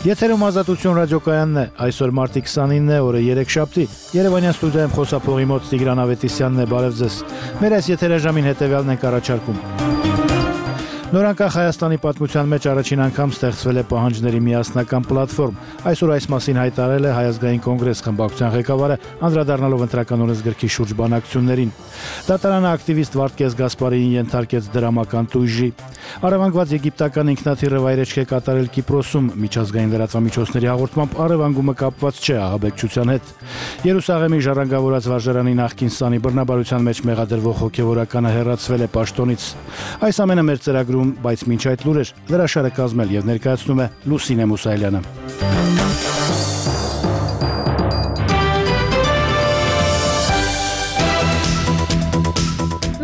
Եթերում Ազատություն ռադիոկայանն է, այսօր մարտի 29 է, օրը 3-շաբթի, Երևանյան ստուդիայում խոսափողի մոտ Տիգրան Ավետիսյանն է, բարև ձեզ։ Մեր այս եթերաժամին հետևյալն ենք առաջարկում։ Նորանկախ Հայաստանի պատմության մեջ առաջին անգամ ստեղծվել է պահանջների միասնական պլատֆորմ։ Այսօր այս մասին հայտարարել է Հայ ազգային կոնգրես խմբակցության ղեկավարը, անդրադառնալով ընտրական օրենսգրքի շուրջ բանակցություններին։ Դատարանը ակտիվիստ Վարդգես Գասպարիին ենթարկեց դրամական տույժի։ Առևանգված եգիպտական ինքնաթիռը վայրեջք է կատարել Կիպրոսում, միջազգային լրատվամիջոցների հաղորդմամբ առևանգումը կապված չէ ահաբեկչության հետ։ Երուսաղեմի ժառանգավորած վարժարանի նախկին սանի բռնաբարության մեջ մեղադրվող հոգևորականը հեռացվել է պաշտոնից։ Այս ամենը մեր ծրագրում, բայց մինչ այդ լուրեր լրաշարը կազմել եւ ներկայացնում է Լուսինե Մուսայելյանը։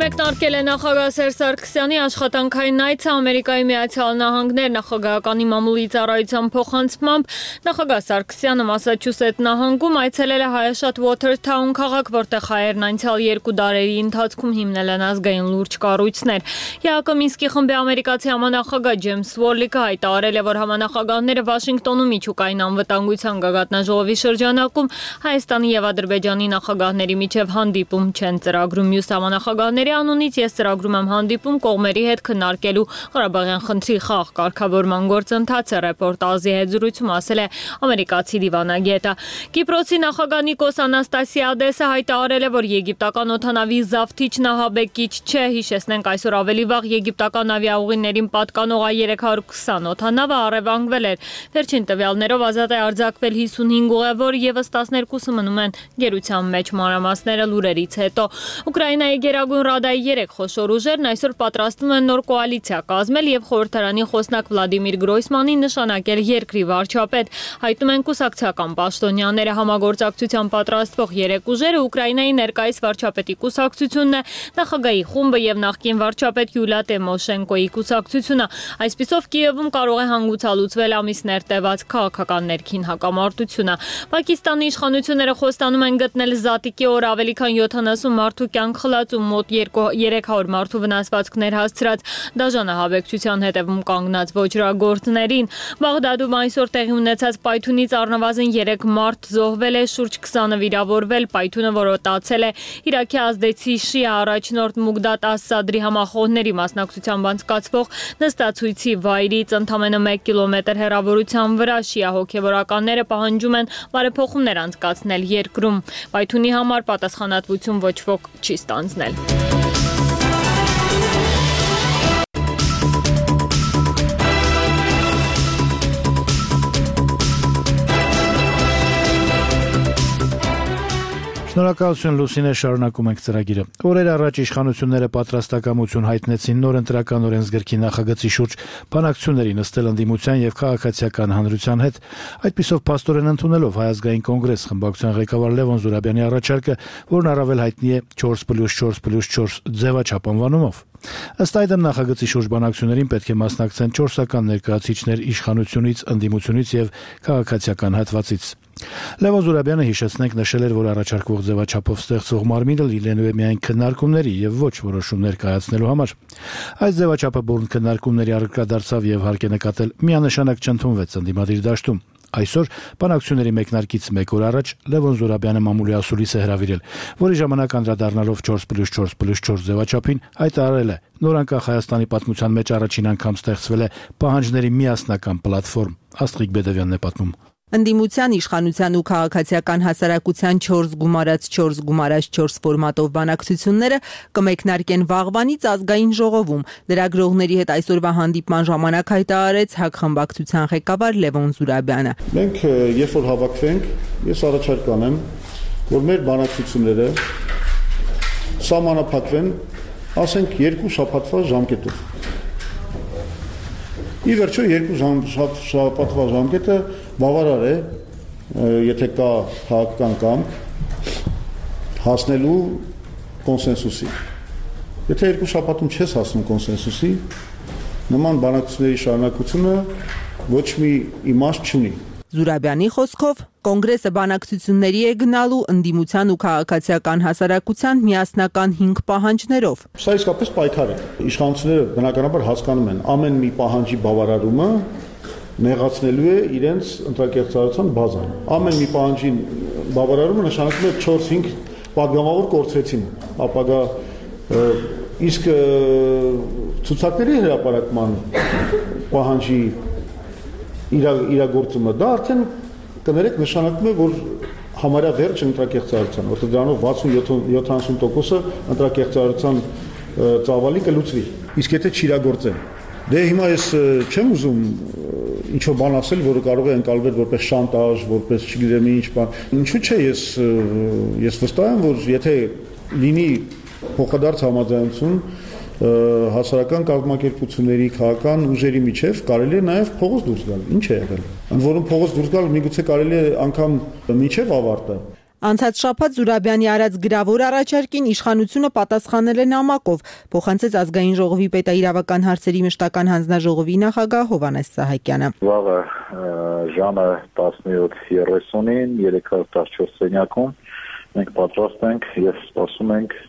Մեկնարկել է նախագահ Սերժ Սարգսյանի աշխատանքային այցը Ամերիկայի Միացյալ Նահանգներ նախագահականի մամուլի ծառայության փոխանցմամբ նախագահ Սարգսյանը Մասաչուսեթ նահանգում այցելել է հայաշատ Watertown քաղաք, որտեղ հայերն անցյալ 2 դարերի ընթացքում հիմնել են ազգային լուրջ կառույցներ։ ԵԱԿ Մինսկի խմբի ամերիկացի համանախագահ Ջեյմս Վորլիկը հայտարարել է, որ համանախագահները Վաշինգտոնում միջուկային անվտանգության գագաթնաժողովի շրջանակում Հայաստանի եւ Ադրբեջանի նախագահների միջև հանդիպում չեն ծրագրում։ Մյուս համանախագահների անունից ես ծրագրում եմ հանդիպում կողմերի հետ քննարկելու Ղարաբաղյան խնդրի խաղ կարգավորման գործընթացը, ռեպորտաժի հետ զրույցում ասել է ամերիկացի դիվանագետը։ Կիպրոսի նախագահ Նիկոս Անաստասիադեսը հայտարարել է, որ եգիպտական օդանավի զավթիչն ահաբեկիչ չէ։ Հիշեցնենք, այսօր ավելի վաղ եգիպտական ավիաուղիներին պատկանող A320 օդանավը առևանգվել էր։ Վերջին տվյալներով ազատ է արձակվել 55 ուղևոր, եւս 12-ը մնում են գերության մեջ։ Մանրամասները լուրերից հետո Ուկրաինայի Գերագույն Ռադայի 3 խոշոր ուժերն այսօր պատրաստվում են նոր կոալիցիա կազմել եւ խորհրդարանի խոսնակ Վլադիմիր Գրոյսմանին նշանակել երկրի վարչապետ։ Հայտնում են կուսակցական պաշտոնյաները, համագործակցության պատրաստվող 3 ուժերը Ուկրաինայի ներկայիս վարչապետի կուսակցությունն է, նախագահի խումբը եւ նախկին վարչապետ Յուլիա Տիմոշենկոյի կուսակցությունը։ Այսպիսով Կիևում կարող է հանգուցալուծվել ամիսներ տևած քաղաքական ներքին հակամարտությունը։ Պակիստանի իշխանությունները խոստանում են գտնել զատիկի օր ավելի քան 70 մարդու կյանք խլացում, մոտ 300 մարդու վնասվածքներ հասցրած դաժան ահաբեկչության հետևում կանգնած ոճրագործներին։ Բաղդադում այսօր տեղի ունեցած պայթունից առնվազն 3 մարդ զոհվել է, շուրջ 20-ը վիրավորվել։ Պայթունը որոտացել է Իրաքի ազդեցի շիա առաջնորդ Մուգդադ Աս-Սադրի համախոհների մասնակցությամբ անցկացվող նստացույցի վայրից ընդամենը 1 կիլոմետր հեռավորության վրա։ Շիա հոգևորականները պահանջում են բարեփոխումներ անցկացնել երկրում։ Պայթունի համար պատասխանատվություն ոչ ոք չի ստանձնել։ Շնորհակալություն Լուսինե, շարունակում ենք ծրագիրը։ Օրեր առաջ իշխանությունները պատրաստակամություն հայտնեցին նոր ընտրական օրենսգրքի նախագծի շուրջ բանակցությունների նստել ընդդիմության եւ քաղաքացիական հանրության հետ։ Այդպիսով փաստորեն ընդունելով Հայ ազգային կոնգրես խմբակցության ղեկավար Լևոն Զուրաբյանի առաջարկը, որն առավել հայտնի է 4+4+4 ձևաչափ անվանումով։ Ըստ այդմ նախագծի շուրջ բանակցություններին պետք է մասնակցեն 4-ական ներկայացուցիչներ իշխանությունից, ընդդիմությունից եւ քաղաքացիական հատվածից։ Լևոն Զուրաբյանը, հիշեցնենք, նշել էր, որ առաջարկվող ձևաչափով ստեղծող մարմինը լինելու է միայն քննարկումների եւ ոչ որոշումներ կայացնելու համար։ Այս ձևաչափը բուրըն քննարկումների առարկա դարձավ եւ հարկ է նկատել միանշանակ չընդունվեց ընդդիմադիր դաշտում։ Այսօր բանակցությունների մեկնարկից 1 օր առաջ Լևոն Զուրաբյանը մամուլի ասուլիս է հրավիրել, որի ժամանակ անդրադառնալով 4+4+4 ձևաչափին հայտարարել է, նորանկախ Հայաստանի պատմության մեջ առաջին անգամ ստեղծվել է պահանջների միասնական պլատֆորմ։ Աստղիկ Բեդևյանն է պատմում։ Ընդդիմության, իշխանության ու քաղաքացիական հասարակության 4+4+4 ֆորմատով բանակցությունները կմեկնարկեն վաղվանից ազգային ժողովում։ Լրագրողների հետ այսօրվա հանդիպման ժամանակ հայտարարեց ՀԱԿ խմբակցության ղեկավար Լևոն Զուրաբյանը։ Մենք երբ որ հավաքվենք, ես առաջարկ կանեմ, որ մեր բանակցությունները սահմանափակվեն, ասենք 2 շաբաթվա ժամկետով։ Ի վերջո 2 շաբաթվա ժամկետը բավարար է, եթե կա քաղաքական կամք հասնելու կոնսենսուսի։ Եթե 2 շաբաթում չես հասնում կոնսենսուսի, նման բանակցությունների շարունակությունը ոչ մի իմաստ չունի։ Զուրաբյանի խոսքով կոնգրեսը բանակցությունների է գնալու ընդդիմության ու քաղաքացիական հասարակության միասնական 5 պահանջներով։ Սա իսկապես պայքար է։ Իշխանությունները բնականաբար հասկանում են ամեն մի պահանջի բավարարումը նեղացնելու է իրենց ընտրակեղծարարության բազան։ Ամեն մի պահանջին բավարարումը նշանակում է 4-5 պատգամավոր կորցրեցին ապագա իսկ ցուցակների հրապարակման պահանջի իրագործումը դա արդեն կներեք նշանակում է, որ համարյա վերջ ընտրակեղծարարության, որտեղ դրանով 60-70%-ը ընտրակեղծարարության ծավալի կլուծվի։ Իսկ եթե չիրագործեն, դե հիմա ես չեմ ուզում ինչ-որ բան ասել, որը կարող է ընկալվել որպես շանտաժ, որպես չգիտեմ ինչ բան։ Ինչու՞ չէ, ես վստահ եմ, որ եթե լինի փոխադարձ համաձայնություն հասարակական կազմակերպությունների, քաղաքական ուժերի միջև կարելի է նաև փողոց դուրս գալ։ Ինչ է եղել։ Ընդ որում փողոց դուրս գալ միգուցե կարելի է անգամ միջև ավարտը։ Անցած շաբաթ Զուրաբյանի արած գրավոր առաջարկին իշխանությունը պատասխանել է նամակով, փոխանցեց Ազգային ժողովի պետաիրավական հարցերի մշտական հանձնաժողովի նախագահ Հովհաննես Սահակյանը։ Վաղը ժամը 17:30-ին 314 սենյակում մենք պատրաստ ենք եւ սպասում ենք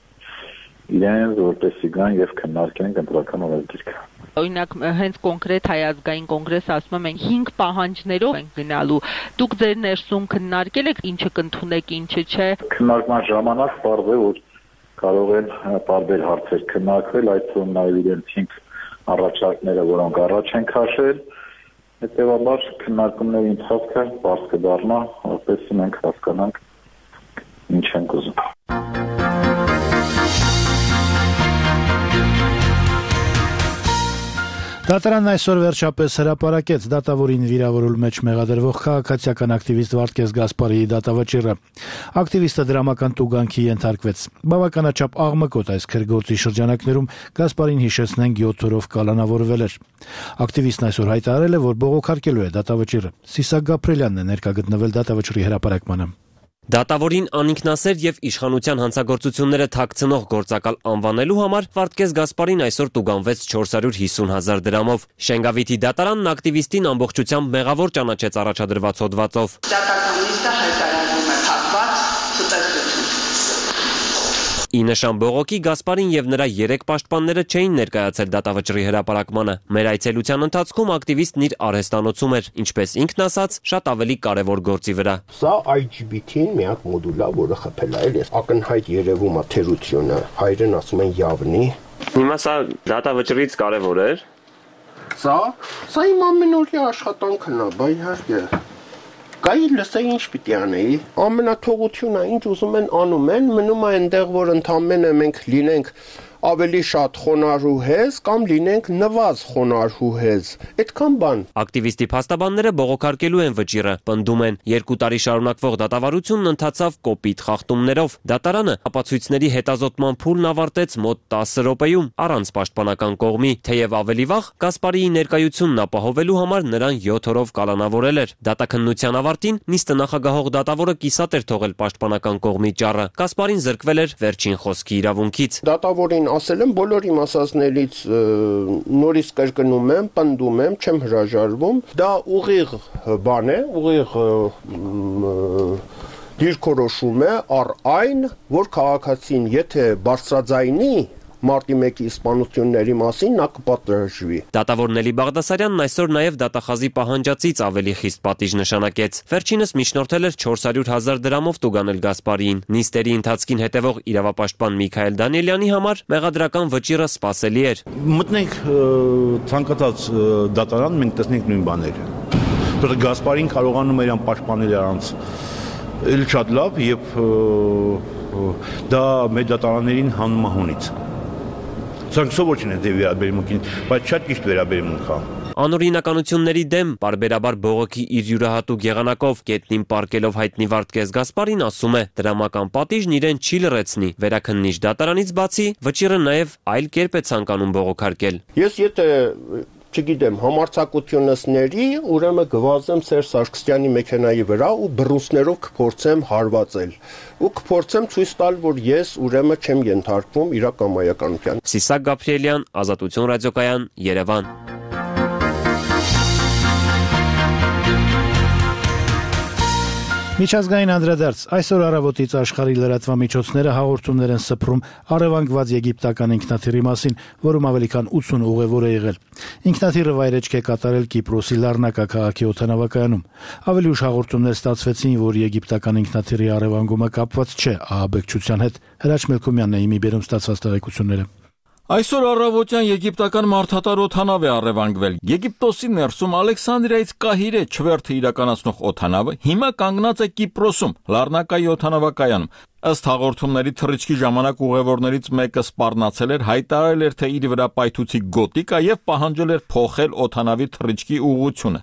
իրենց որպեսզի գան եւ քննարկենք ընտրական օրենսգիրքը։ Օրինակ հենց կոնկրետ Հայ ազգային կոնգրեսը ասում է մենք 5 պահանջներով ենք գնալու։ Դուք ձեր ներսում քննարկել եք ինչը կընդունեք, ինչը չէ։ Քննարկման ժամանակ պարզ է, որ կարող են տարբեր հարցեր քննարկվել, այդ թվում նաեւ իրենց 5 առաջարկները, որոնք առաջ են քաշել, հետեւաբար քննարկումների ընթացքը բարձ կդառնա, որպեսզի մենք հասկանանք ինչ ենք ուզում։ Դատարանն այսօր վերջապես հրապարակեց դատավորին վիրավորելու մեջ մեղադրվող քաղաքացիական ակտիվիստ Վարդգես Գասպարիի դատավճիռը։ Ակտիվիստը դրամական տուգանքի ենթարկվեց։ Բավականաչափ աղմկոտ այս քրգործի շրջանակներում Գասպարին հիշեցնենք 7 օրով կալանավորվել էր։ Ակտիվիստն այսօր հայտարարել է, որ բողոքարկելու է դատավճիռը։ Սիսակ Գաբրելյանն է ներկա գտնվել դատավճիռի հրապարակմանը։ Դատավորին անինքնասեր եւ իշխանության հանցագործությունները թաքցնող գործակալ անվանելու համար Վարդգես Գասպարին այսօր տուգանվեց 450,000 դրամով։ Շենգավիթի դատարանն ակտիվիստին ամբողջությամբ մեղավոր ճանաչեց առաջադրված հոդվածով։ Դատականիստը հայտարարում է փակված ցուցադրություն։ Ի նշան բողոքի Գասպարին եւ նրա 3 պաշտպանները չէին ներկայացել դատավճռի հրապարակմանը։ Մեր այցելության ընթացքում ակտիվիստն իր արհեստանոցում էր, ինչպես ինքն ասաց, շատ ավելի կարևոր գործի վրա։ Սա IGBT-ին մի հատ մոդուլ է, որը խփել է, էլի ակնհայտ երևում է թերությունը, հայերեն ասում են явնի։ Հիմա սա դատավճռից կարևոր էր։ Սա իմ ամենօրյա աշխատանքն է, բայ իհարկե։ Կայի լսեի ինչ պիտի անեի, ամենաթողությունը ինչ ուզում են անում են, մնում է այնտեղ, որ ընդամենը մենք լինենք ավելի շատ խոնարհուհեզ կամ լինենք նվազ խոնարհուհեզ, այդքան բան։ Ակտիվիստի փաստաբանները բողոքարկելու են վճիռը, պնդում են 2 տարի շարունակվող դատավարությունն ընթացավ կոպիտ խախտումներով։ Դատարանը ապացույցների հետազոտման փուլն ավարտեց մոտ 10 րոպեում առանց պաշտպանական կողմի, թեև ավելի վաղ Գասպարիի ներկայությունն ապահովելու համար նրան 7 օրով կալանավորել էր։ Դատաքննության ավարտին նիստը նախագահող դատավորը կիսատ էր թողել պաշտպանական կողմի ճառը։ Գասպարին զրկվել էր վերջին խոսքի իրավունքից։ Դատավորին ասել եմ բոլոր իմ ասածներից նորից կրկնում եմ, պնդում եմ, չեմ հրաժարվում, դա ուղիղ բան է, ուղիղ դիրքորոշում է առ այն, որ քաղաքացին եթե բարձրաձայնի մարտի 1-ի սպանությունների մասին նա կպատրաստվի։ Դատավոր Նելի Բաղդասարյանն այսօր նաև դատախազի պահանջածից ավելի խիստ պատիժ նշանակեց։ Վերջինս միջնորդել էր 400,000 դրամով տուգանել Գասպարիին։ Նիստերի ընթացքին հետևող իրավապաշտպան Միքայել Դանիելյանի համար մեղադրական վճիռը սպասելի էր։ Մտնենք ցանկացած դատարան, մենք տեսնենք նույն բաները։ Որտեղ Գասպարին կարողանում էր անպաշտպանել առանց էլ շատ լավ եւ դա մեր դատարաններին հանում է հունից։ Սրանք չեն դե վերաբերմունքին, բայց շատ ճիշտ վերաբերմունք է։ Անօրինականությունների դեմ բարբերաբար բողոքի իր յուրահատուկ եղանակով գետնին պարկելով հայտնի Վարդգես Գասպարին ասում է, դրամական պատիժն իրեն չի լրացնի։ Վերաքննիչ դատարանից բացի վճիռը նաև այլ կերպ է ցանկանում բողոքարկել։ Ես եթե չգիտեմ, համարձակությունս ների, ուրեմն գվազեմ Սերժ Սարգսյանի մեքենայի վրա ու բռունցքներով կփորձեմ հարվածել։ Ու կփորձեմ ցույց տալ, որ ես ուրեմն չեմ ենթարկվում իրակամայականության։ Սիսակ Գաբրելյան, Ազատություն ռադիոկայան, Երևան։ Միջազգային անդրադարձ այսօր առավոտից աշխարհի լրատվամիջոցները հաղորդումներ են սփռում առևանգված եգիպտական ինքնաթիռի մասին, որում ավելի քան 80 ուղևոր է եղել։ Ինքնաթիռը վայրեջք է կատարել Կիպրոսի Լառնակա քաղաքի օդանավակայանում։ Ավելի ուշ հաղորդումներ ստացվեցին, որ եգիպտական ինքնաթիռի առևանգումը կապված չէ ահաբեկչության հետ։ Հրաչ Մելքոմյանն է իմի բերում ստացված տեղեկությունները։ Այսօր առավոտյան եգիպտական մարդատար օդանավ է առևանգվել։ Եգիպտոսի ներսում Ալեքսանդրիայից Կահիրե չվերթը իրականացնող օդանավը հիմա կանգնած է Կիպրոսում, Լառնակայի օդանավակայանում։ Ըստ հաղորդումների թռիչքի ժամանակ ուղևորներից մեկը սպառնացել էր, հայտարարել էր, թե իր վրա պայթուցիկ գոտի կա եւ պահանջել էր փոխել օդանավի թռիչքի ուղղությունը։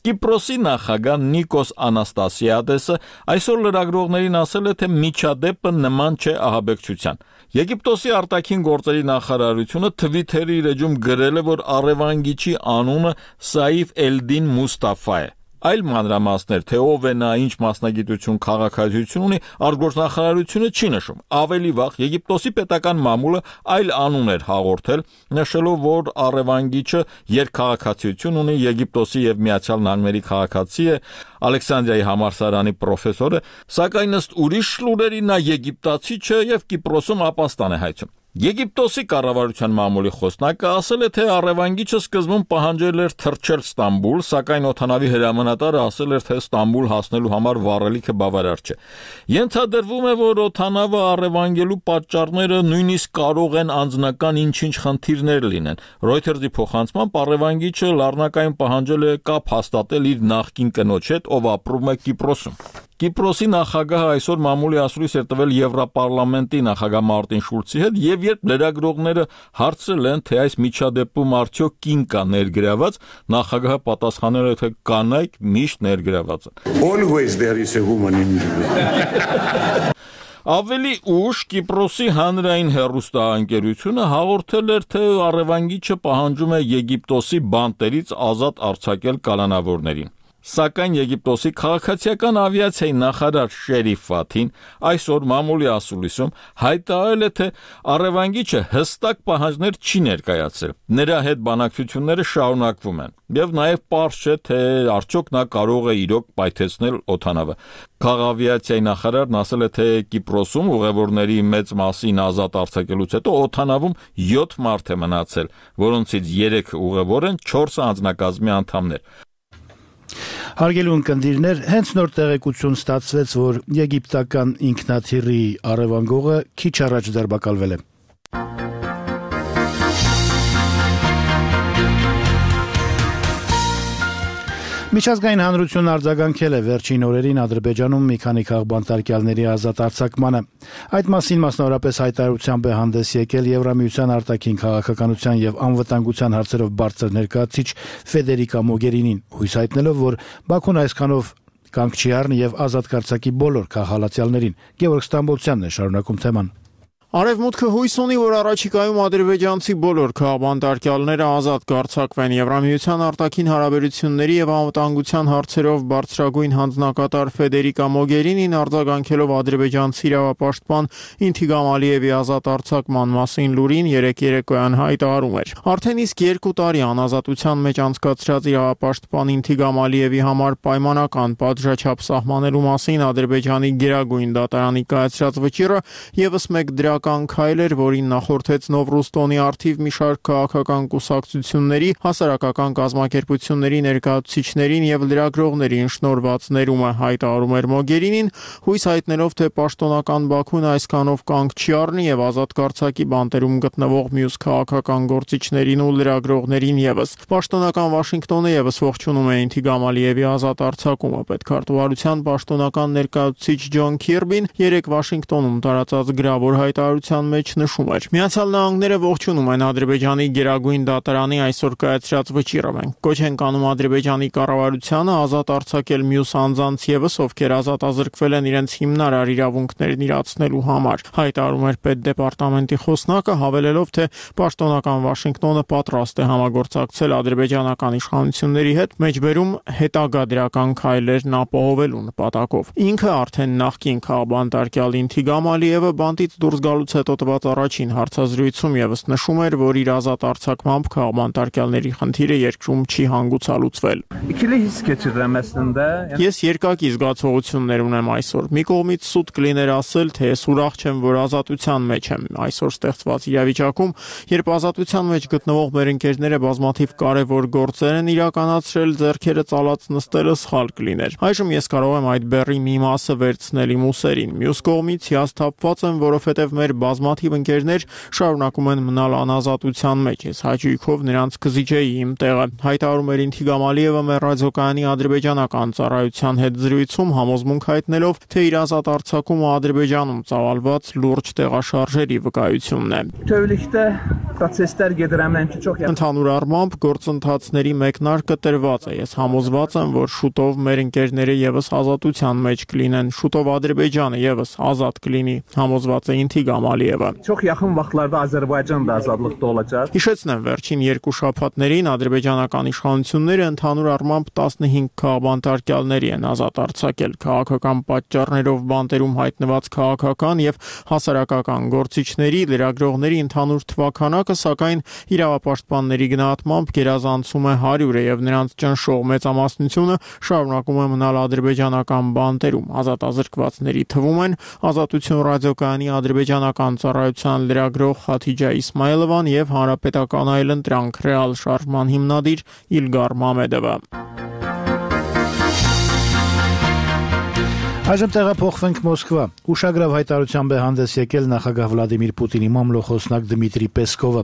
Կիպրոսի նախագահ Նիկոս Անաստասիադեսը այսօր լրագրողներին ասել է, թե միջադեպը նման չէ ահաբեկչության։ Եգիպտոսի արտաքին գործերի նախարարությունը Թվիթերի իր էջում գրել է, որ առևանգիչի անունը Սաիֆ Էլդին Մուստաֆա է։ Այլ մանրամասներ, թե ով է նա, ինչ մասնագիտություն, քաղաքացիություն ունի, արտգործնախարարությունը չի նշում։ Ավելի վաղ Եգիպտոսի պետական մամուլը այլ անուն էր հաղորդել, նշելով, որ առևանգիչը երկքաղաքացիություն ունի, Եգիպտոսի եւ Միացյալ Նահանգների քաղաքացի է, Ալեքսանդրիայի համալսարանի պրոֆեսոր է, սակայն ըստ ուրիշ լուրերի նա եգիպտացի չէ եւ Կիպրոսում ապաստան է հայցում։ Եգիպտոսի կառավարության մամուլի խոսնակը ասել է, թե առևանգիչը սկզբում պահանջել էր թռչել Ստամբուլ, սակայն օդանավի հրամանատարը ասել էր, թե Ստամբուլ հասնելու համար վառելիքը բավարար չէ։ Ենթադրվում է, որ օդանավը առևանգելու պատճառները նույնիսկ կարող են անձնական ինչ-ինչ խնդիրներ լինեն։ Reuters-ի փոխանցմամբ առևանգիչը Լառնակայում պահանջել է կապ հաստատել իր նախկին կնոջ հետ, ով ապրում է Կիպրոսում։ Կիպրոսի նախագահը այսօր մամուլի ասուլիս էր տվել Եվրոպարլամենտի նախագահ Մարտին Շուլցի հետ եւ երբ լրագրողները հարցրել են, թե այս միջադեպում արդյոք կին կա ներգրաված, նախագահը պատասխանել է, թե կանայք միշտ ներգրաված են։ Always there is a woman in Ավելի ուշ Կիպրոսի հանրային հեռուստաընկերությունը հաղորդել էր, թե առևանգիչը պահանջում է Եգիպտոսի բանտերից ազատ արձակել կալանավորներին։ Սակայն Եգիպտոսի քաղաքացիական ավիացիայի նախարար Շերիֆ Ֆաթին այսօր մամուլի ասուլիսում հայտարարել է, թե առևանգիչը հստակ պահանջներ չի ներկայացրել։ Նրա հետ բանակցությունները շարունակվում են եւ նաեւ պարզ չէ, թե արդյոք նա կարող է իրոք պայթեցնել օդանավը։ Քաղաքավիացիայի նախարարն ասել է, թե Կիպրոսում ուղևորների մեծ մասին ազատ արձակելուց հետո օդանավում 7 մարդ է մնացել, որոնցից 3 ուղևոր են, 4-ը անձնակազմի անդամներ։ Հարգելի ունկնդիրներ, հենց նոր տեղեկություն ստացվեց, որ եգիպտական ինքնաթիռի առևանգողը քիչ առաջ ձերբակալվել է։ Միջազգային հանրությունն արձագանքել է վերջին օրերին Ադրբեջանում մի քանի քաղբանտարկյալների ազատ արձակմանը։ Այդ մասին մասնավորապես հայտարարությամբ է հանդես եկել Եվրամիության արտաքին քաղաքականության եւ անվտանգության հարցերով բարձր ներկայացուցիչ Ֆեդերիկա Մոգերինին, հույս հայտնելով, որ Բաքուն այսքանով կանգ չի առնի եւ ազատ կարձակի բոլոր քաղաքացիներին։ Գևորգ Ստամբոլցյանն է շարունակում թեման։ Արևմուտքը հույս ունի, որ առաջիկայում ադրբեջանցի բոլոր քաղաքբանտարկյալները ազատ կարձակվեն։ Եվրամիության արտաքին հարաբերությունների եւ անվտանգության հարցերով բարձրագույն հանձնակատար Ֆեդերիկա Մոգերինին արձագանքելով ադրբեջանցի իրավապաշտպան Ինթիգամ Ալիևի ազատ արձակման մասին լուրին երեկ երեկոյան հայտարարում էր։ Արդեն իսկ 2 տարի անազատության մեջ անցկացրած իրավապաշտպան Ինթիգամ Ալիևի համար պայմանական պատժաչափ սահմանելու մասին Ադրբեջանի գերագույն դատարանի կայացրած վճիռը եւս մեկ դրա քայլ էր, որին նախորդեց Նովրուստոնի արդիվ մի շարք քաղաքական կուսակցությունների, հասարակական կազմակերպությունների ներկայացուցիչներին եւ լրագրողներին շնորհված ներումը, հայտարարում էր Մոգերինին, հույս հայտնելով, թե պաշտոնական Բաքուն այսքանով կանգ չի առնի եւ ազատ կարձակի բանտերում գտնվող մյուս քաղաքական գործիչներին ու լրագրողներին եւս։ Պաշտոնական Վաշինգտոնը եւս ողջունում է Ինթիգամ Ալիևի ազատ արձակումը։ Պետքարտուղարության պաշտոնական ներկայացուցիչ Ջոն Քիրբին երեկ Վաշինգտոնում տարածած գրավոր հայտարարության մեջ նշում էր. Միացյալ Նահանգները ողջունում են Ադրբեջանի գերագույն դատարանի այսօր կայացրած վճիռը։ Մենք կոչ ենք անում Ադրբեջանի կառավարությանը ազատ արձակել մյուս անձանց եւս, ովքեր ազատազրկվել են իրենց հիմնարար իրավունքներն իրացնելու համար։ Հայտարարում էր Պետդեպարտամենտի խոսնակը, հավելելով, թե պաշտոնական Վաշինգտոնը պատրաստ է համագործակցել ադրբեջանական իշխանությունների հետ, մեջբերում հետագա դրական քայլերն ապահովելու նպատակով։ Ինքը արդեն նախկին քաղաքբանտարկյալ Ինթիգամ Ալիևը բանտից դուրս գալու հաղորդարարությունից հետո տված առաջին հարցազրույցում եւս նշում էր, որ իր ազատ արձակմամբ քաղաքապետարանի խնդիրը երկրում չի հանգուցալուծվել։ Ես երկակի զգացողություններ ունեմ այսօր։ Մի կողմից սուտ կլիներ ասել, թե ես ուրախ չեմ, որ ազատության մեջ եմ այսօր ստեղծված իրավիճակում, երբ ազատության մեջ գտնվող մեր ընկերները բազմաթիվ կարևոր գործեր են իրականացրել, ձեռքերը ծալած նստելը սխալ կլիներ։ Այժմ ես կարող եմ այդ բեռի մի մասը վերցնել իմ ուսերին։ Մյուս կողմից հիասթափված եմ, որովհետև մեր բազմաթիվ ընկերներ շարունակում են մնալ անազատության մեջ։ Ես հաճույքով նրանց կզիջեի իմ տեղը։ Հայտարարում էր Ինթիգամ Ալիևը մեր ռադիոկայանի ադրբեջանական ծառայության հետ զրույցում, համոզմունք հայտնելով, թե իր ազատ արձակումը Ադրբեջանում ծավալված լուրջ տեղաշարժերի վկայությունն է։ Ընդհանուր առմամբ գործընթացների մեկնարկը տրված է։ Ես համոզված եմ, որ շուտով մեր ընկերները եւս ազատության մեջ կլինեն, շուտով Ադրբեջանը եւս ազատ կլինի, համոզված է Ինթիգամ Ալիևը։ Հիշեցնեմ, վերջին 2 շաբաթներին ադրբեջանական իշխանությունները ընդհանուր առմամբ 15 քաղաքապետարանի են ազատ արձակել։ Քաղաքական պատճառներով բանտերում հայտնված քաղաքական եւ հասարակական գործիչների, լրագրողների ընդհանուր թվաքանակը, սակայն իրավապաշտպանների գնահատմամբ գերազանցում է 100-ը եւ նրանց ճնշող մեծամասնությունը շարունակում է մնալ ադրբեջանական բանտերում։ Ազատազրկվածների թվում են Ազատություն ռադիոկայանի ադրբեջանական ծառայության լրագրող Խաթիջա Իսմայելովան եւ Հանրապետական այլընտրանք ռեալ շարժման հիմնադիր Իլգար Մամեդովը։ Այժմ տեղափոխվենք Մոսկվա։ Ուշագրավ հայտարարությամբ է հանդես եկել նախագահ Վլադիմիր Պուտինի մամլոխոսնակ Դմիտրի Պեսկովը։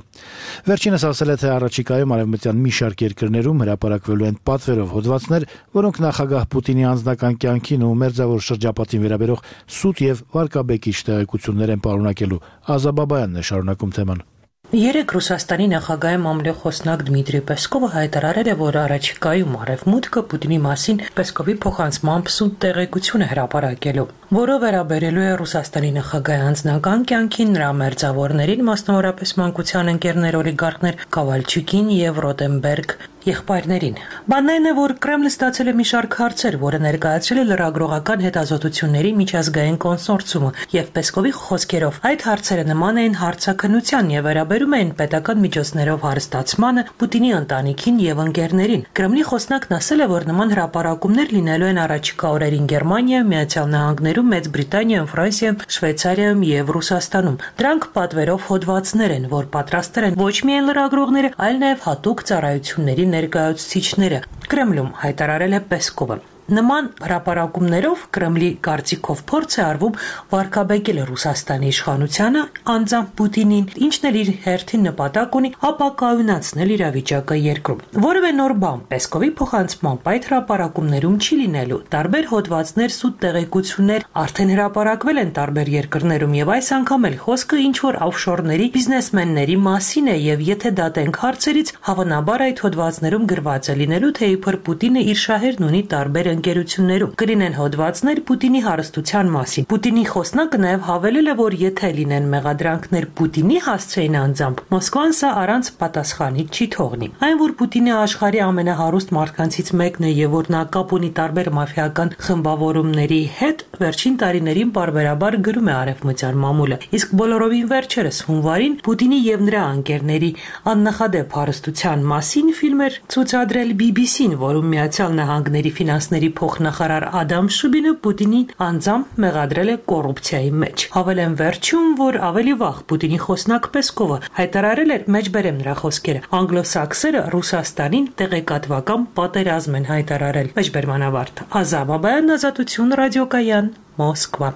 Վերջինս ասել է, թե առաջիկայում արևմտյան մի շարք երկրներում հրապարակվելու են պատվերով հոդվածներ, որոնք նախագահ Պուտինի անձնական կյանքին ու մերձավոր շրջապատին վերաբերող սուտ եւ վարկաբեկիչ տեղեկություններ են պարունակելու։ Ազա Բաբայանն է շարունակում թեման։ Երեկ Ռուսաստանի նախագահի մամլոխոսնակ Դմիտրի Պեսկովը հայտարարել է, որ առաջիկայում Արևմուտքը Պուտինի մասին Պեսկովի փոխանցմամբ սուտ տեղեկություն է հրապարակելու, որը վերաբերելու է Ռուսաստանի նախագահի անձնական կյանքին, նրա մերձավորներին, մասնավորապես մանկության ընկերներ օլիգարխներ Կավալչուկին եւ Ռոտենբերգ եղբայրներին։ Բանն այն է, որ Կրեմլը ստացել է մի շարք հարցեր, որը ներկայացրել է լրագրողական հետազոտությունների միջազգային կոնսորցիումը, եւ Պեսկովի խոսքերով այդ հարցերը նման էին հարցաքննության եւ վերաբերում էին պետական միջոցներով հարստացմանը, Պուտինի ընտանիքին եւ ընկերներին։ Կրեմլի խոսնակն ասել է, որ նման հրապարակումներ լինելու են առաջիկա օրերին Գերմանիայում, Միացյալ Նահանգներում, Մեծ Բրիտանիայում, Ֆրանսիայում, Շվեյցարիայում եւ Ռուսաստանում։ Դրանք պատվերով հոդվածներ են, որ պատրաստել են ոչ միայն լրագրողները, այլ նաեւ հատուկ ծառայությունների ներկայացուցիչները, Կրեմլում հայտարարել է Պեսկովը։ Նման հրապարակումներով Կրեմլի կարծիքով փորձ է արվում վարկաբեկել Ռուսաստանի իշխանությանը, անձամբ Պուտինին, ինչն էլ իր հերթին նպատակ ունի ապակայունացնել իրավիճակը երկրում։ Որևէ նոր բան Պեսկովի փոխանցմամբ այդ հրապարակումներում չի լինելու։ Տարբեր հոդվածներ, սուտ տեղեկություններ արդեն հրապարակվել են տարբեր երկրներում եւ այս անգամ էլ խոսքը ինչ-որ օֆշորների բիզնեսմենների մասին է եւ եթե դատենք հարցերից, հավանաբար այդ հոդվածներում գրված է լինելու, թե իբր Պուտինը իր շահերն ունի տարբեր ընկերություններում կլինեն հոդվածներ Պուտինի հարստության մասին։ Պուտինի խոսնակը նաև հավելել է, որ եթե լինեն մեղադրանքներ Պուտինի հասցեին անձամբ, Մոսկվան սա առանց պատասխանի չի թողնի։ Այն, որ Պուտինը աշխարհի ամենահարուստ մարդկանցից մեկն է եւ որ նա կապ ունի տարբեր մաֆիական խմբավորումների հետ, վերջին տարիներին պարբերաբար գրում է արևմտյան մամուլը։ Իսկ բոլորովին վերջերս հունվարին Պուտինի եւ նրա ընկերների աննախադեպ հարստության մասին ֆիլմ էր ցուցադրել BBC-ն, որում Միացյալ Նահանգների ֆինանսների փոխնախարար Ադամ Շուբինը Պուտինին անձամբ մեղադրել է կոռուպցիայի մեջ։ Հավելեն վերջում, որ ավելի վաղ Պուտինի խոսնակ Պեսկովը հայտարարել էր, մեջբերեմ նրա խոսքերը, անգլոսաքսերը Ռուսաստանին տեղեկատվական պատերազմ են հայտարարել։ Մեջբերման ավարտ։ Ազա Բաբայան, Ազատություն ռադիոկայան, Մոսկվա։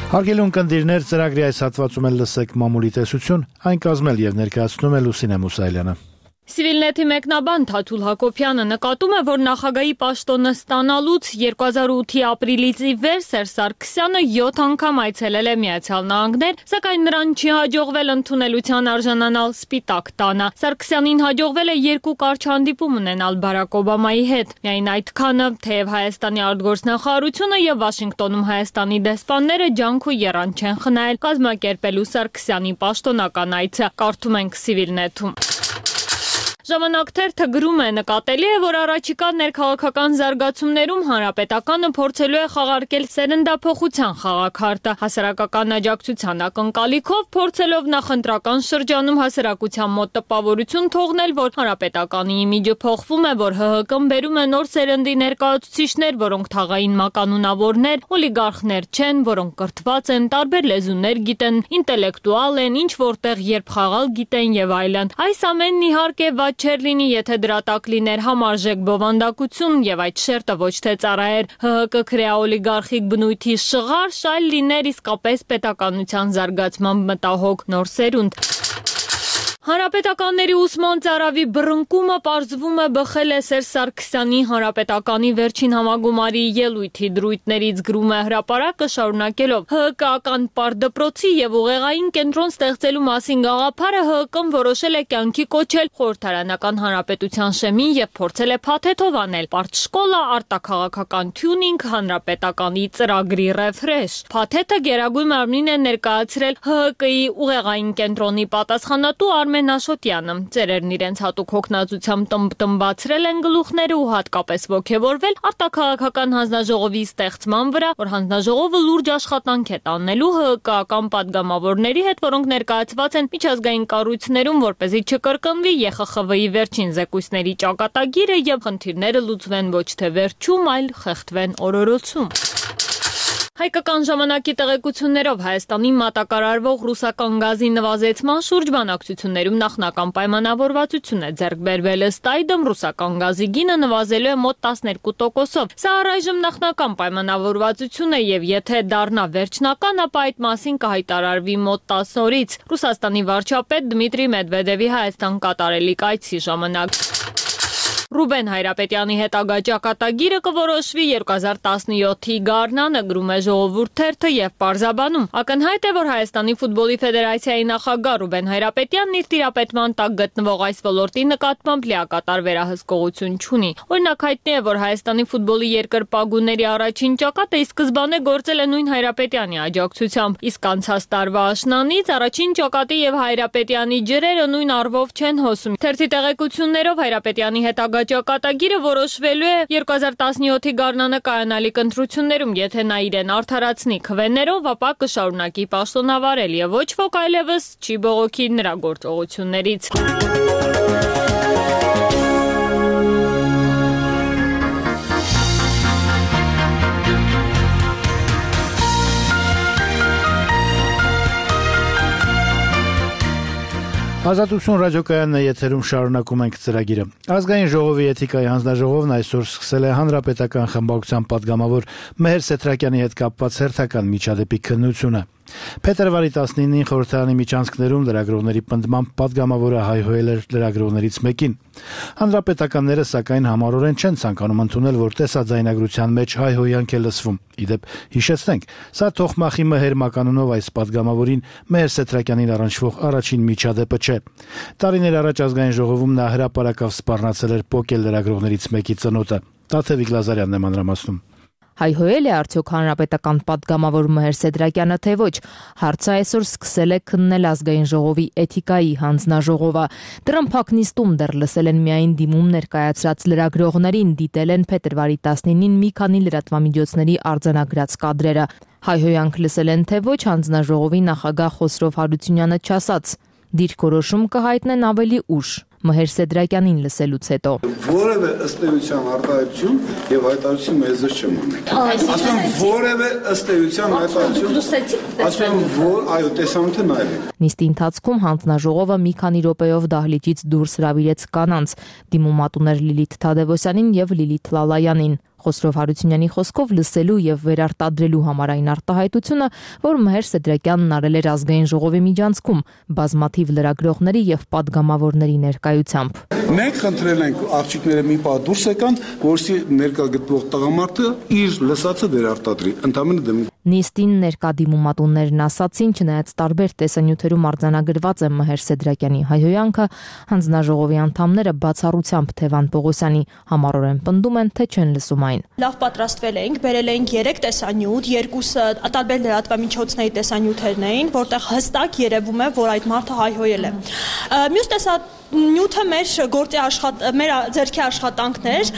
Հարգելի ունկնդիրներ, ծրագրի այս հատվածում էլ լսեք մամուլի տեսություն, այն կազմել եւ ներկայացնում է Լուսինե Մուսայելյանը։ Civilnet-ի մեկնաբան Թաթուլ Հակոբյանը նկատում է, որ նախագահի պաշտոնը ստանալուց 2008-ի ապրիլից ի վեր Սերժ Սարգսյանը 7 անգամ այցելել է Միացյալ Նահանգներ, սակայն նրան չի հաջողվել ընդունելության արժանանալ Սպիտակ տանը։ Սարգսյանին հաջողվել է 2 կարճ հանդիպում ունենալ Բարակ Օբամայի հետ։ Միայն այդքանը, թեև Հայաստանի արտգործնախարարությունը եւ Վաշինգտոնում Հայաստանի դեսպանները ջանք ու եռան չեն խնայել կազմակերպելու Սարգսյանի պաշտոնական այցը։ Կարդում ենք Civilnet-ում։ Ժամանակ թերթը գրում է. նկատելի է, որ առաջիկա ներքաղաքական զարգացումներում հանրապետականը փորձելու է խաղարկել սերնդափոխության խաղաքարտը, հասարակական աջակցության ակնկալիքով փորձելով նախընտրական շրջանում հասարակության մոտ տպավորություն թողնել, որ հանրապետականի իմիջը փոխվում է, որ ՀՀԿ-ն բերում է նոր սերնդի ներկայացուցիչներ, որոնք թաղային մականունավորներ, օլիգարխներ չեն, որոնք կրթված են, տարբեր լեզուներ գիտեն, ինտելեկտուալ են, ինչ որտեղ երբ խաղալ գիտեն եւ այլն։ Այս ամենն իհարկե ված չէր լինի, եթե դրա տակ լիներ համարժեք բովանդակություն եւ այդ շերտը ոչ թե ծառայեր ՀՀԿ քրեաօլիգարխիկ բնույթի շղար, շայլ լիներ իսկապես պետականության զարգացման մտահոգ նոր սերունդ։ Հանրապետականների ուսման ծարավի բռնկումը պարզվում է բխել է Սերժ Սարգսյանի հանրապետականի վերջին համագումարի ելույթի դրույթներից գրում է հրապարակը շարունակելով ՀՀԿ-ական պարտդպրոցի եւ ուղեղային կենտրոն ստեղծելու մասին գաղափարը ՀՀԿ-ն որոշել է կյանքի կոչել խորհրդարանական հանրապետության շեմին եւ փորձել է փաթեթով անել պարտշկոլա, արտաքաղաքական թյունինգ, հանրապետականի ծրագրի ռեֆրեշ։ Փաթեթը Գերագույն մարմնին է ներկայացրել ՀՀԿ-ի ուղեղային կենտրոնի պատասխանատու Արմեն Աշոտյանը, ծերերն իրենց հատուկ հոգնածությամբ տմբացրել են գլուխները ու հատկապես ոգևորվել արտաքաղաքական հանձնաժողովի ստեղծման վրա, որ հանձնաժողովը լուրջ աշխատանք է տանելու ՀՀԿ-ական պատգամավորների հետ, որոնք ներկայացված են միջազգային կառույցներում, որպեսզի չկրկնվի ԵԽԽՎ-ի վերջին զեկույցների ճակատագիրը եւ խնդիրները լուծվեն ոչ թե վերջում, այլ խեղդվեն օրորոցում։ Հայկական ժամանակի տեղեկություններով Հայաստանի մատակարարվող ռուսական գազի նվազեցման շուրջ բանակցություններում նախնական պայմանավորվածություն է ձեռք բերվել, ըստ այդմ ռուսական գազի գինը նվազելու է մոտ 12%-ով։ Սա առայժմ նախնական պայմանավորվածություն է եւ եթե դառնա վերջնական, ապա այդ մասին կհայտարարվի մոտ 10 օրից։ Ռուսաստանի վարչապետ Դմիտրի Մեդվեդևի Հայաստան կատարելիք այցի ժամանակ։ Ռուբեն Հայրապետյանի հետագա ճակատագիրը կորոշվի 2017-ի գարնանը, գրում է Ժողովուրդ թերթը եւ պարզաբանում։ Ակնհայտ է, որ Հայաստանի ֆուտբոլի ֆեդերացիայի նախագահ Ռուբեն Հայրապետյանն իր տիրապետման տակ գտնվող այս ոլորտի նկատմամբ լիակատար վերահսկողություն չունի։ Օրինակ հայտնի է, որ Հայաստանի ֆուտբոլի երկրպագուների առաջին ճակատը ի սկզբանե գործել է նույն Հայրապետյանի աջակցությամբ, իսկ անցած տարվա աշնանից առաջին ճակատի եւ Հայրապետյանի ջրերը նույն առվով չեն հոսում։ Թերթի տեղեկություններով Հայրապետյանի հետագա ճակատագիրը որոշվելու է 2017-ի գարնանը կայանալիք ընտրություններում, եթե նա իրեն արդարացնի քվեներով, ապա կշարունակի պաշտոնավարել եւ ոչ ոք այլևս չի բողոքի նրա գործողություններից։ Ազատություն ռադիոկայանն է եթերում, շարունակում ենք ծրագիրը։ Ազգային ժողովի էթիկայի հանձնաժողովն այսօր սկսել է հանրապետական խմբակցության падգամավոր Մեհեր Սեթրակյանի հետ կապված հերթական միջադեպի քննությունը։ Փետրվարի 19-ին խորհրդարանի միջանցքներում լրագրողների պնդմամբ падգամավորը հայհոյել էր լրագրողներից մեկին։ Հանրապետականները սակայն համառորեն չեն ցանկանում ընդունել, որ տեսաձայնագրության մեջ հայհոյանք է լսվում։ Իդեպ հիշեցնենք, սա Թոխմախի Մեհեր մականունով այս падգամավորին Մեհեր Սեթրակյանին առնչվող առաջին միջադեպը չէ։ Տարիներ առաջ ազգային ժողովում նա հրապարակավ սպառնացել էր պոկել լրագրողներից մեկի ծնոտը։ Տաթևիկ Լազարյանն է մանրամասնում։ Հայհոյել է արդյոք հանրապետական падգամավոր Մեհեր Սեդրակյանը, թե ոչ։ Հարցը այսօր սկսել է քննել ազգային ժողովի էթիկայի հանձնաժողովը։ Դրան փակնիստում դեռ լսել են միայն դիմում ներկայացրած լրագրողներին, դիտել են փետրվարի 19-ին մի քանի լրատվամիջոցների արձանագրած կադրերը։ Հայհոյանք լսել են, թե ոչ, հանձնաժողովի նախագահ Խոսրով Հարությունյանը չասաց։ Դիրքորոշում կհայտնեն ավելի ուշ։ Մեհեր Սեդրակյանին լսելուց հետո որևէ ըստ էության արտահայտություն եւ հայտարարություն մեզ չեմ ունի։ Ասում որևէ ըստ էության հայտարարություն ասում որ այո տեսանյութը նայեք։ Նիստի ընթացքում հանձնաժողովը մի քանի րոպեով դահլիճից դուրս հրավիրեց կանանց՝ դիմումատուներ Լիլիթ Թադևոսյանին եւ Լիլիթ Լալայանին։ Խոսրով Հարությունյանի խոսքով լսելու եւ վերարտադրելու համարային արտահայտությունը, որ Մեհեր Սեդրակյանն արել էր ազգային ժողովի միջանցքում բազմաթիվ լրագրողների եւ падգամավորների ներկայությամբ։ Մենք խնդրել ենք աղջիկները մի պահ դուրս եկան, որսի ներկա գտնվող տղամարդը իր լսածը վերարտադրի։ Ընդամենը դեմ Նիստին ներկա դիմումատուններն ասացին, չնայած տարբեր տեսանյութերում արձանագրված է Մեհեր Սեդրակյանի հայհոյանքը, հանձնաժողովի անդամները բացառությամբ Թևան Պողոսյանի համառորեն պնդում են, թե չեն լսում այն։ Լավ պատրաստվել էինք, բերել էինք 3 տեսանյութ, երկուսը տարբեր լրատվամիջոցների տեսանյութերն էին, որտեղ հստակ երևում է, որ այդ մարդը հայհոյել է։ Մյուս նյութը մեր ձեռքի աշխատանքներ,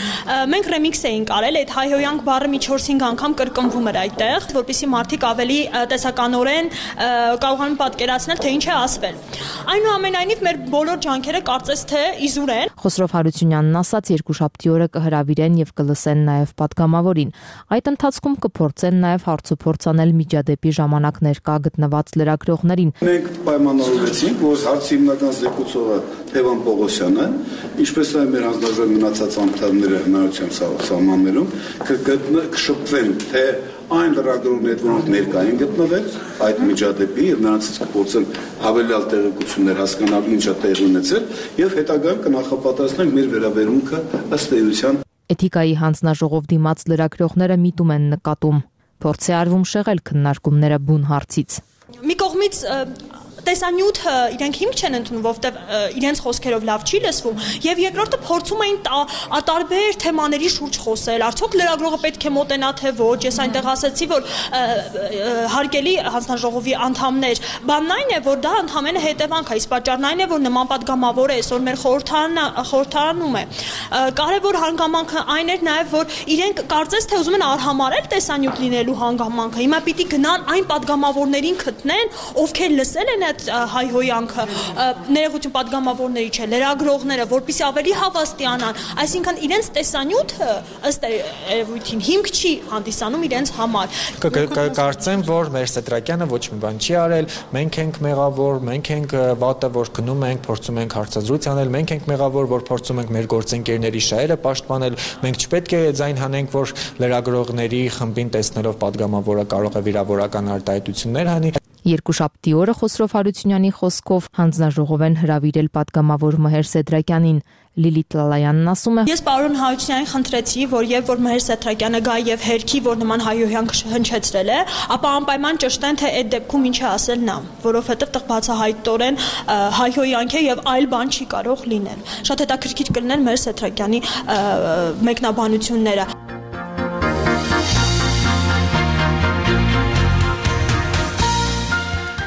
մենք ռեմիքս էինք արել, այդ հայհոյանք բառը մի 4-5 անգամ կրկնվում էր այդտեղ, որպեսզի մարդիկ ավելի տեսականորեն կարողանան պատկերացնել, թե ինչ է ասվել։ Այնուամենայնիվ մեր բոլոր ջանքերը կարծես թե իզուր են։ Խոսրով Հարությունյանն ասաց, երկուշաբթի օրը կհրավիրեն եւ կլսեն նաեւ պատգամավորին։ Այդ ընթացքում կփորձեն նաեւ հարցուփորձ անել միջադեպի ժամանակ ներկա գտնված լրագրողներին։ Մենք պայմանավորվեցինք, որ հարցի հիմնական զեկուցողը Թևան Պողոսյանը, ինչպես նաև մեր հանձնաժողովի մնացած անդամները հնարավորության սահմաններում կշփվեն, թե այն լրագրողներն, որոնք ներկա են գտնվել այդ միջադեպի եւ նրանցից կփորձեն հավելյալ տեղեկություններ հասկանալ ինչա տեղի ունեցել եւ հետագայում կնախապատրաստենք մեր վերաբերմունքը ըստ էության։ Էթիկայի հանձնաժողով դիմաց լրագրողները միտում են նկատում։ Փորձ է արվում շեղել քննարկումները բուն հարցից։ Մի կողմից տեսանյութը իրենք հիմք չեն ընդունում, որովհետև իրենց խոսքերով լավ չի լսվում, եւ երկրորդը փորձում էին տարբեր թեմաների շուրջ խոսել, արդյոք լրագրողը պետք է մոտենա թե ոչ, ես այնտեղ ասացի, որ հարգելի հանձնաժողովի անդամներ, բանն այն է, որ դա ընդհանրապես հետևանք է, իսկ պատճառն այն է, որ նման պատգամավոր է այսօր մեր խորհրդարանում է։ Կարևոր հանգամանքը այն էր նաեւ, որ իրենք կարծես թե ուզում են արհամարել տեսանյութ լինելու հանգամանքը, հիմա պիտի գնան այն պատգամավորներին գտնեն, ովքեր լսել են հայհոյանքը, ներողություն պատգամավորների չէ, լրագրողները, որպեսզի ավելի հավաստիանան, այսինքն իրենց տեսանյութը ըստ երևույթին հիմք չի հանդիսանում իրենց համար։ Կարծեմ, որ մեր Սեդրակյանը ոչ մի բան չի արել, մենք ենք մեղավոր, մենք ենք վատը, որ գնում ենք, փորձում ենք հարցազրույց անել, մենք ենք մեղավոր, որ փորձում ենք մեր գործընկերների շահերը պաշտպանել, մենք չպետք է ձայն հանենք, որ լրագրողների խմբին տեսնելով պատգամավորը կարող է վիրավորական արտահայտություններ հանի։ Երկուշաբթի օրը Խոսրով Հարությունյանի խոսքով հանձնաժողով են հրավիրել պատգամավոր Մհեր Սեդրակյանին։ Լիլիթ Լալայանն ասում է. Ես պարոն Հարությունյանին խնդրեցի, որ եւ որ Մհեր Սեդրակյանը գա եւ հերքի, որ նման հայհոյանք հնչեցրել է, ապա անպայման ճշտեն, թե այդ դեպքում ինչ է ասել նա, որովհետեւ տեղ բացահայտորեն հայհոյանք է եւ այլ բան չի կարող լինել։ Շատ հետաքրքիր կլիներ Մհեր Սեդրակյանի մեկնաբանությունները։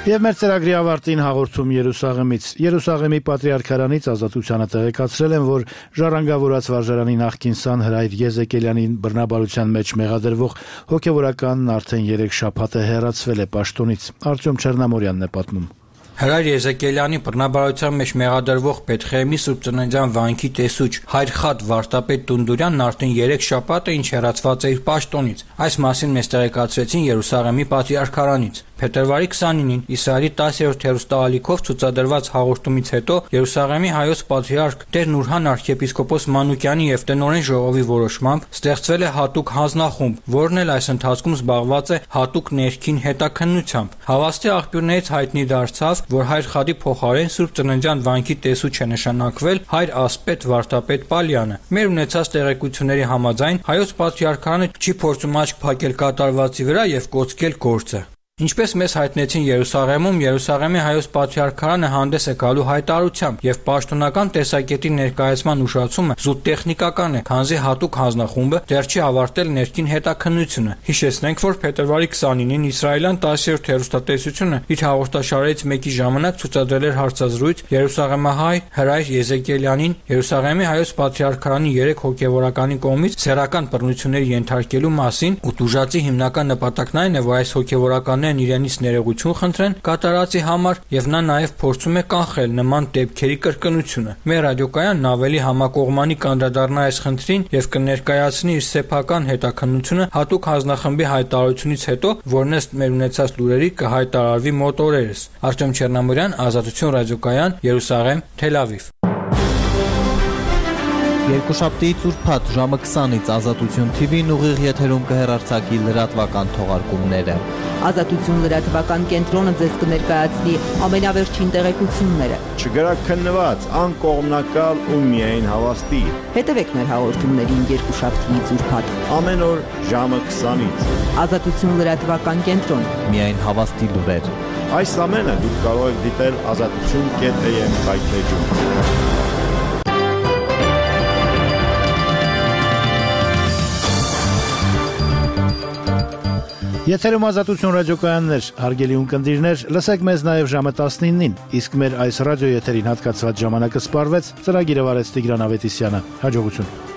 Եվ մեր ծրագրի ավարտին հաղորդում Երուսաղեմից։ Երուսաղեմի պատրիարքարանից ազատությանը տեղեկացրել են, որ ժառանգավորած վարժարանի նախկին սան Հրայր Եզեկելյանին բռնաբարության մեջ մեղադրվող հոգևորականն արդեն 3 շաբաթ է հեռացվել է պաշտոնից։ Արտյոմ Չեռնամորյանն է պատմում։ Հրայր Եզեկելյանի բռնաբարության մեջ մեղադրվող Պետխեհեմի Սուրբ Ծննդյան վանքի տեսուչ Հայր Խադ Վարդապետ Տունդուրյանն արդեն 3 շաբաթ է ինչ հեռացված է իր պաշտոնից։ Այս մասին մեզ տեղեկացրեցին Երուսաղեմի պատրիարքարանից։ Փետրվարի 29-ին Իսրայելի 10-րդ հեռուստաալիքով ցուցադրված հաղորդումից հետո Երուսաղեմի հայոց պատրիարք Տեր Նուրհան arczepiskopos Մանուկյանի եւ տնօրեն ժողովի որոշմամբ ստեղծվել է հատուկ հանձնախումբ, որն էլ այս ընթացքում զբաղված է հատուկ ներքին հետաքննությամբ։ Հավաստի աղբյուրներից հայտնի դարձավ, որ Հայր Խադի փոխարեն Սուրբ Ծննդյան վանքի տեսուչ է նշանակվել Հայր Ասպետ Վարդապետ Պալյանը։ Մեր ունեցած տեղեկությունների համաձայն հայոց պատրիարքարանը չի փորձում աչք փակել կատարվածի վրա եւ կոծկել գործը։ Ինչպես մեզ հայտնեցին Երուսաղեմում, Երուսաղեմի հայոց պատրիարքարանը հանդես է գալու հայտարարությամբ եւ պաշտոնական տեսակետի ներկայացման ուշացումը զուտ տեխնիկական է, քանզի հատուկ հանձնախումբը դեռ չի ավարտել ներքին հետաքննությունը։ Հիշեցնենք, որ փետրվարի 29-ին իսրայելյան 10-րդ հեռուստատեսությունը իր հաղորդաշարերից մեկի ժամանակ ցուցադրել էր հարցազրույց Երուսաղեմահայ Հրայր Եզեկելյանին Երուսաղեմի հայոց պատրիարքարանի 3 հոգևորականի կողմից սեռական բռնությունների ենթարկելու մասին, ու տուժածի հիմնական նպատակն այն է, որ այս հոգևորականներն իրենից ներողություն խնդրեն կատարածի համար եւ նա նաեւ փորձում է կանխել նման դեպքերի կրկնությունը։ Մեր ռադիոկայանն ավելի համակողմանի կանդրադառնա այս խնդրին եւ կներկայացնի իր սեփական հետաքննությունը հատուկ հանձնախմբի հայտարարությունից հետո, որն ըստ մեր ունեցած լուրերի կհայտարարվի մոտ օրերս։ Արտյոմ Չեռնամորյան, Ազատություն ռադիոկայան, Երուսաղեմ, Թել Ավիվ։ Երկուշաբթի ծուրփաթ ժամը 20-ից Ազատություն TV-ն ուղիղ եթերում կհեռարձակի լրատվական թողարկումները։ Ազատություն լրատվական կենտրոնը ձեզ կներկայացնի ամենավերջին տեղեկությունները։ Չգրաքննված, անկողմնակալ ու միայն հավաստի։ Հետևեք մեր հաղորդումներին երկուշաբթի ծուրփաթ ամեն օր ժամը 20-ից։ Ազատություն լրատվական կենտրոն։ Միայն հավաստի լուրեր։ Այս ամենը դուք կարող եք դիտել azatutun.am սայթում։ Եթերում Ազատություն ռադիոկայաններ, հարգելի ունկնդիրներ, լսեք մեզ նաև ժամը 19-ին, իսկ մեր այս ռադիոեթերին հատկացված ժամանակը սպառվեց, ծրագիրը վարեց Տիգրան Ավետիսյանը։ Հաջողություն։